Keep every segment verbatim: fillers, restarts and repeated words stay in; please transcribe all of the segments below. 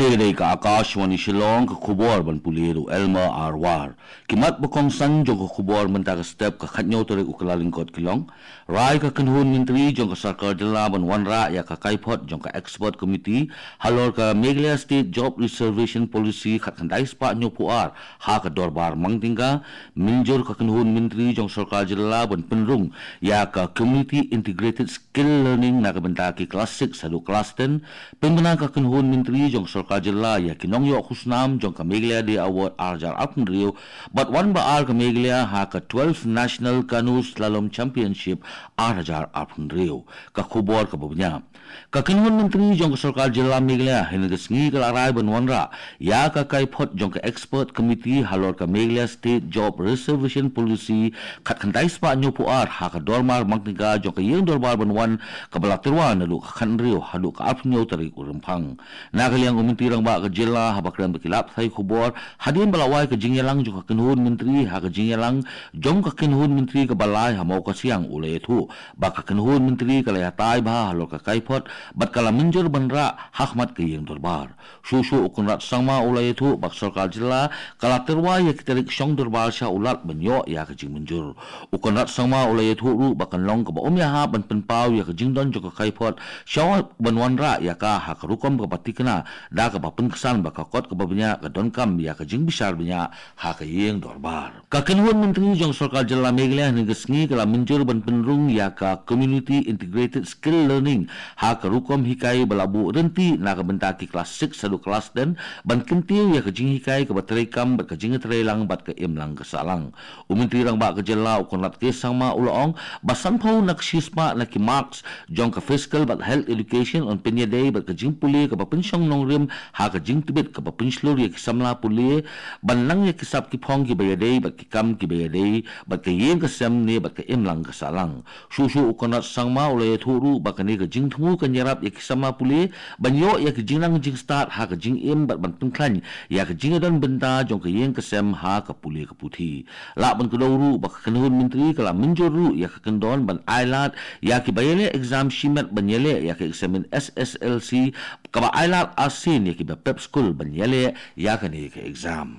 Ka dei ka Akashvani Shillong, ka khubor ban pule da u Elmer R War. Ki mat ba kongsan jong ka khubor mynta ka step ka khatnyaw tarik u Kyllalyngkot ki long: Rai ka kynhun myntri jong ka sorkar jylla ban wanrah ïa ka kaiphod jong ka expert committee halor ka Meghalaya State Job Reservation Policy khatkhyndai spah hynñiewphew ar ha ka dorbar Mangtynga. Mynjur ka kynhun myntri jong sorkar jylla ban pynrung ïa ka Community Integrated Skill Learning na ka bynta ki klas six haduh klas ten. Pynbna ka kynhun myntri jong sorkar jylla ïa ki nongïoh khusnam jong ka Meghalaya Day Award ar hajar arphew hynriew bad wan ba ar ka Meghalaya ha ka twelfth National Canoe Slalom Championship ar hajar arphew hynriew. Ka khubor kaba bniah. Ka kynhun myntri jong ka sorkar jylla Meghalaya hynne ka sngi ka la rai ban wanrah ïa ka kaiphod jong ka expert committee halor ka Meghalaya State Job Reservation Policy khatkhyndai spah hynñiewphew ar ha ka dorbar Mangtynga jong ka ïing dorbar ban wan kaba la tyrwa naduh ka khathynriew haduh ka arphew hynñiew tarik u Rymphang. Na ka liang u Myntri Rangbah ka jylla haba kren bad ki lad pathai khubor hadien ba la wai ka jingïalang jong ka kynhun myntri ha ka jingïalang jong ka kynhun myntri kaba lai ha Mawkasiang u la ïathuh ba ka kynhun myntri ka la ïatai bha halor ka kaiphod bad ka la mynjur ban rah ha khmat ka ïing dorbar. Shuh shuh u Conrad Sangma u la ïathuh ba ka sorkar jylla ka la tyrwa ïa ki tarik shong dorbar sha u Lat ban ïoh ïa ka jingmynjur. U Conrad Sangma u la ïathuh ruh ba kan long kaba ym ïahap ban pynpaw ïa ka jingdon jong ka kaiphod shuwa ban wanrah ïa ka ha ka rukom kaba thikna da kaba pynksan ba ka kot kaba bniah ka donkam ïa ka jingbishar bniah ha ka ïing dorbar. Ka kynhun myntri jong sorkar jylla Meghalaya hynne ka sngi ka la mynjur ban pynrung ïa ka Community Integrated Skill Learning ha ka rukom hikai ba la buh ryntih na ka bynta ki klas six haduh klas ten ban kyntiew ïa ka jinghikai kaba treikam bad ka jingtreilang bad ka imlang ka sahlang. U Myntri Rangbah ka jylla u Conrad K Sangma u la ong ba sanphew na ka shispah na ki marks jong ka physical bad health education yn pynïadei bad ka jingpule kaba pynshong nongrim ha ka jingtbit kaba pynshlur ïa ki samla pule ban nang ïa ki sap ki phong kiba ïadei bad ki kam kiba ïadei bad ka ïing ka sem ne bad ka imlang ka sahlang. Shuh shuh u Conrad Sangma u la ïathuh ruh ba kane ka jingthmu kan ïarap ïa ki samla pule ban ïoh ïa ka jingnang jingstad ha ka jingim bad ban pynkhlaiñ ïa ka jingïadon bynta jong ka ïing ka sem ha ka pule ka puthi. Lah ban kdew ruh ba ka kynhun myntri ka la mynjur ruh ïa ka kyndon ban ailad ïa kiba ïaleh exam shimet ban ïaleh ïa ka eksamin S S L C, kaba ailad arsien ïa kiba pep skul ban ïaleh ïa kane ka exam.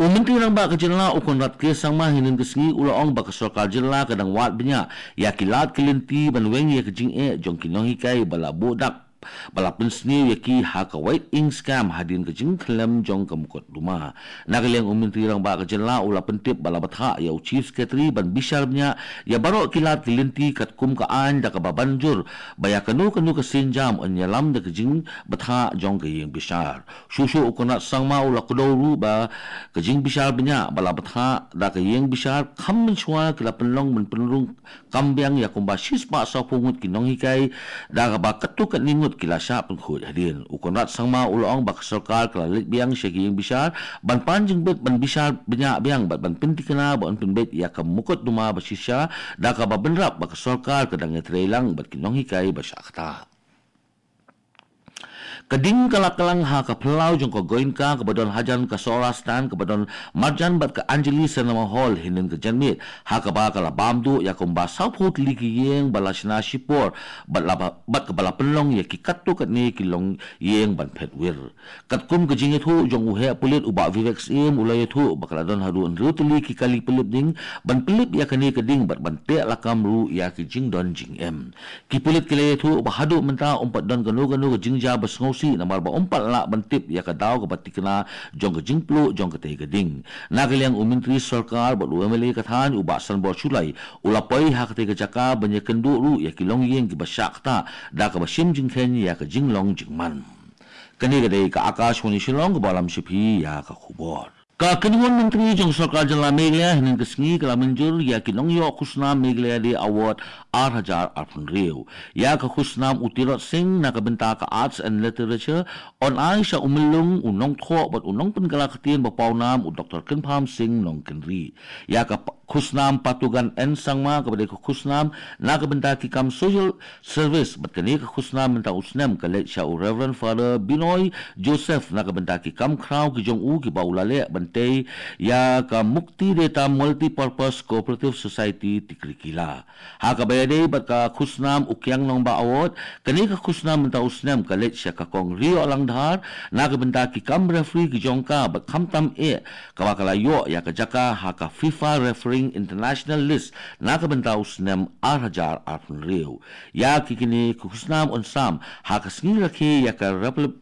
U Myntri Rangbah ka jylla u Conrad K Sangma hynnin ka sngi u la ong ba ka sorkar jylla ka dang wad bniah ïa ki lad ki lynti ban weng ïa ka jingeh jong ki nonghikai ba la buh dak ba la pynsniew ïa ki ha ka White Ink Scam hadien ka jingkhyllem jong ka mukotduma. Na ka liang u Myntri Rangbah ka jylla u la pyntip ba la bthah ïa u Chief Secretary ban bishar bniah ïa baroh ki lad ki lynti katkum ka aiñ da kaba ban jur ba ïa kano kano ka sienjam yn ïalam da ka jingbthah jong ka ïing bishar. Shuh shuh u Conrad Sangma u la kdew ruh ba ka jingbishar bniah ba la bthah da ka ïing bishar kham mynshuwa ki la pynlong ban pynrung kam biang ïa kumba shispah sawphew ngut ki nonghikai da kaba katto katne ngut ki la shah pynkhuid hadien. U Conrad Sangma u la ong ba ka sorkar ka la leit biang sha ki ïing bishar ban pan jingbit ban bishar bniah biang bad ban pynthikna ba yn pynbeit ïa ka mukotduma ba shisha da kaba bynrap ba ka sorkar ka dang ïatreilang bad ki nonghikai ba shah ktah. Ka ding ka la kylang ha ka phyllaw jong ka Goenka kaba don hajan ka Sohra Stand kaba don marjan bad ka Anjali Cinema Hall hynnin ka janmiet ha kaba ka la bam duh ïa kumba sawphew tylli ki ïing ba la shna shipor bad la ba, bad kaba la pynlong ïa ki katto katne ki longïing ban phet wir. Katkum ka jingïathuh jong u heh pulit u Bah Vivek Syiem u la ïathuh ba ka la don haduh hynriew tylli ki kali pynlip ding ban pynlip ïa kane ka ding bad ban teh lakam ruh ïa ki jingdon jingem. Ki pulit ki la ïathuh ba haduh mynta ym pat don kano kano ka jingjia ba sngewsih namar ba ym pat lah ban tip ïa ka daw kaba thikna jong ka jingpluh jong katei ka ding. Na ka liang u Myntri Sorkar bad u M L A ka thaiñ u Bah Sanbor Shullai u la poi ha katei ka jaka ban ïakynduh ruh ïa ki longïing kiba shah ktah da kaba shim jingkheiñ ïa ka jinglong jingman. Kane ka dei ka Akashvani Shillong kaba lam sha phi ïa ka khubor. Ka kynhun myntri jong sorkar jylla Meghalaya hynnin ka sngi ka la mynjur ïa ki nongïoh khusnam Meghalaya Day Award ar hajar arphew hynriew. Ïa ka khusnam u Tirot Singh na ka bynta ka Arts and Literature yn ai sha u myllung, u nongthoh bad u nongpynkylla ktien ba pawnam u Doktor Kynpham Singh Nongkynrih. Ïa ka pa-, khusnam Patugan N Sangma kaba dei ka khusnam na ka bynta ki kam social service bad kane ka khusnam mynta u snem ka leit sha u Reverend Father Binoy Joseph na ka bynta ki kam khraw ki jong u kiba u la leh ban tei ïa ka Mukti Deta Multipurpose Cooperative Society Tikrikilla. Ha kaba ïadei bad ka khusnam U Kiang Nongbah Award, kane ka khusnam mynta u snem ka leit sha ka Kong Rioh Langdhar na ka bynta ki kam referee ki jong ka bad khamtam eh kaba ka la ïoh ïa ka jaka ha ka FIFA Refereeing International List na ka bynta u snem ar hajar arphew hynriew. Ïa ki kine ki khusnam un sam ha ka sngi rakhe ïa ka Republic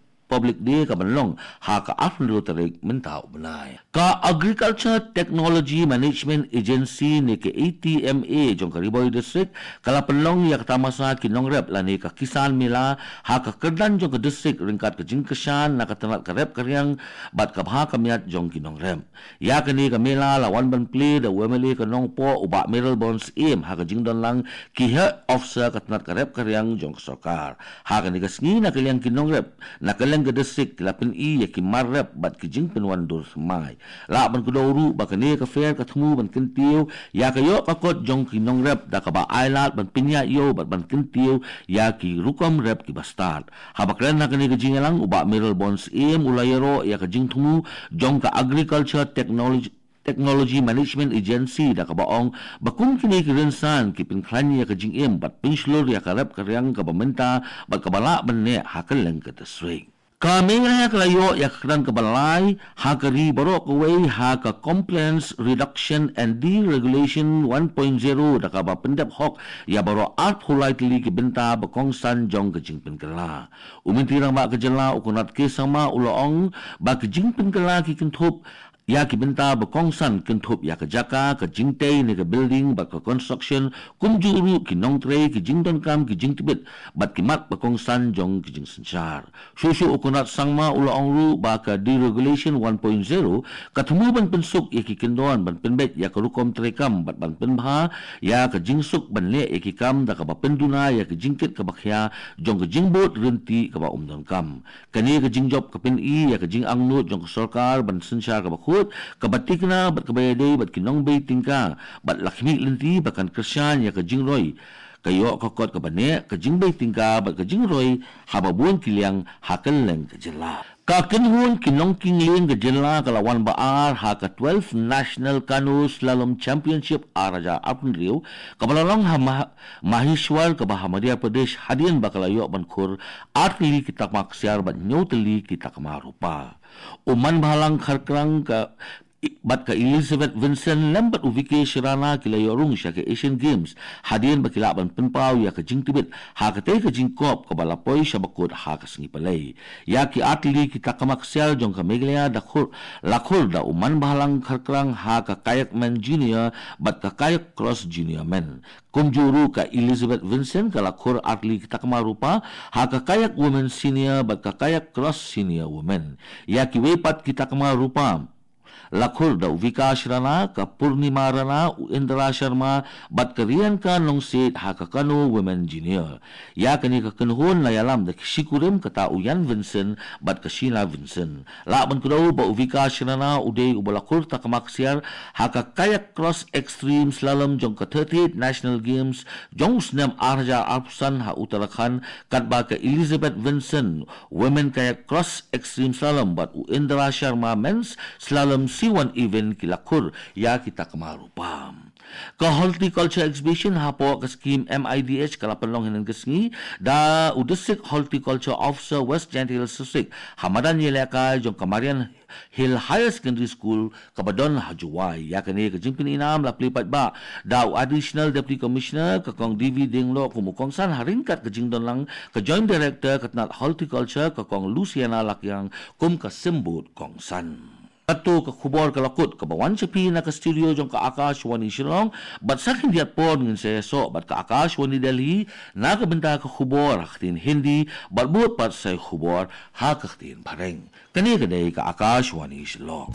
Day ka ban long ha ka arphew hynriew tarik mynta u bnai. Ka Agriculture Technology Management Agency ne ka A T M A jong ka Ri Bhoi District ka la pynlong ïa ka tamasa ki nongrep lane ka Kisan Mela ha ka kyrdan jong ka district ryngkat ka jingkyrshan na ka tnat ka rep ka riang bad ka bha ka miat jong ki nongrep. Ïa kane ka mela la wan ban plie da u M L A ka Nongpoh u Bah Mayralborn Syiem ha ka jingdonlang ki head officer ka tnat ka rep ka riang jong ka sorkar. Ha kane ka sngi na ka liang ki nongrep na ka liang ka district ki la pyni ïa ki mar rep bad ki jingpynwandur thymmai. Lah ban kdew ruh ba kane ka fair ka thmu ban kyntiew ïa ka ïoh ka kot jong ki nongrep da kaba ailad ban pynïaid ïew bad ban kyntiew ïa ki rukom rep kiba stad. Haba kren ha kane ka jingïalang u Bah Mayralborn Syiem u la ïaroh ïa ka jingthmu jong ka Agriculture Technology Technology Management Agency da kaba ong ba kum kine ki rynsan ki pynkhlaiñ ïa ka jingim bad pynshlur ïa ka rep ka riang kaba mynta bad kaba lah ban neh ha kylleng ka district. Ka Meghalaya ka la ïoh ïa ka kyrdan kaba lai ha ka ri baroh kawei ha ka Compliance Reduction and Deregulation one point zero da kaba pyndep hok ïa baroh arphew lai tylli ki bynta ba kongsan jong ka jingpynkylla. U Myntri Rangbah ka jylla u Conrad K Sangma u la ong ba ka jingpynkylla ki kynthup ïa ki bynta ba kongsan kynthup ïa ka jaka, ka jingtei ne ka building bad ka construction, kumjuh ruh ki nongtrei, ki jingdonkam, ki jingtbit bad ki mat ba kongsan jong ki jingsynshar. Shuh shuh u Conrad Sangma u la ong ruh ba ka Deregulation one point zero ka thmu ban pynsuk ïa ki kyndon, ban pynbeit ïa ka rukom treikam bad ban pynbha ïa ka jingsuk ban leh ïa ki kam da kaba pynduna ïa ka jingkit kaba khia jong ka jingbud ryntih kaba ym donkam. Kane ka jingjop ka pyni ïa ka jingangnud jong ka sorkar ban synshar kaba khuid, kaba tikna bad kaba ïadei bad ki nongbei tyngka bad la khmih lynti ba kan kyrshan ïa ka jingroi ka ïoh ka kot kaba neh, ka jingbei tyngka bad ka jingroi haba bun ki liang ha kylleng ka jylla. Ka kynhun ki nongkyngling ka jylla ka la wan ba ar ha ka twelfth National Canoe Slalom Championship ar hajar arphew hynriew kaba la long ha Mah- Maheshwar kaba ha Madhya Pradesh hadien ba ka la ïoh ban khur ar tylli ki takma ksiar bad hynñiew tylli ki takma rupa. U Manbhalang Kharkrang ka bad ka Elizabeth Vincent lem bad u Vikesh Rana ki la ïoh rung sha ka Asian Games hadien ba ki lah ban pynpaw ïa ka jingtbit ha katei ka jingkop kaba la poi sha bakut ha ka sngi Palei. Ïa ki ar tylli ki takma ksiar jong ka Meghalaya da khur la khur da u Manbhalang Kharkrang ha ka Kayak Men Junior bad ka Kayak Cross Junior Men. Kumjuh ruh ka Elizabeth Vincent ka la khur ar tylli ki takma rupa ha ka Kayak Women Senior bad ka Kayak Cross Senior Women. Ïa kiwei pat ki takma rupa la khur da u Vikash Rana, ka Purnima Rana, u Indra Sharma bad ka Rianka Nongsiej ha ka Kano Women Junior. Ïa kane ka kynhun la ïalam da ki shikurim kata u Ian Vincent bad ka Sheena Vincent. Lah ban kdew ba u Vikash Rana u dei uba la khur takma ksiar ha ka Kayak Cross Extreme Slalom jong ka thirty-eighth National Games jong u snem ar hajar arphew san ha Uttarakhand, katba ka Elizabeth Vincent Women Kayak Cross Extreme Slalom bad u Indra Sharma Men's Slalom C one Event ki la khur ïa ki takma rupa. Ka Horticulture Exhibition hapoh ka skim M I D H ka la pynlong hynnin ka sngi da u District Horticulture Officer West Jaintia Hills District ha madan ïalehkai jong ka Marian Hill Higher Secondary School kaba don ha Jowai. Ïa kane ka jingpyninam la plie paidbah da u Additional Deputy Commissioner ka Kong D V Diengnoh kum u kongsan ha ryngkat ka jingdonlang ka Joint Director ka tnat Horticulture ka Kong Luciana Lakiang kum ka symbud kongsan. Kato ka khubor ka la kut kaba wan sha phi na ka studio jong ka Akashvani Shillong, bad sa khyndiat por ngin sa ïasoh bad ka Akashvani Delhi na ka bynta ka khubor ha ka ktien Hindi bad bud pat sa ïa ka khubor ha ka ktien Phareng. Kane ka dei ka Akashvani Shillong.